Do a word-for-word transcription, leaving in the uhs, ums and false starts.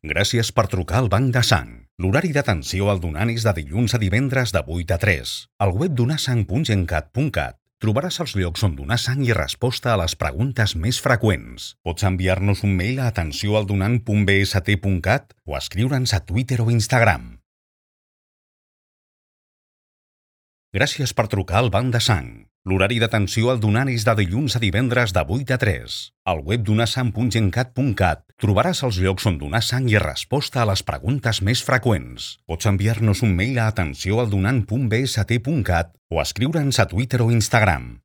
Gràcies per trucar al Banc de Sang. L'horari d'atenció al donant és de dilluns a divendres de vuit a tres. Al web donasang punt gencat punt cat trobaràs els llocs on donar sang i resposta a les preguntes més freqüents. Pots enviar-nos un mail a atenció al donant punt b s t punt cat o escriure'ns a Twitter o Instagram. Gràcies per trucar al Banc de Sang. L'horari d'atenció al donant és de dilluns a divendres de vuit a tres. Al web donasang punt gencat punt cat trobaràs els llocs on donar sang i resposta a les preguntes més freqüents. Pots enviar-nos un mail a atenció al donant punt b s t punt cat o escriure'ns a Twitter o Instagram.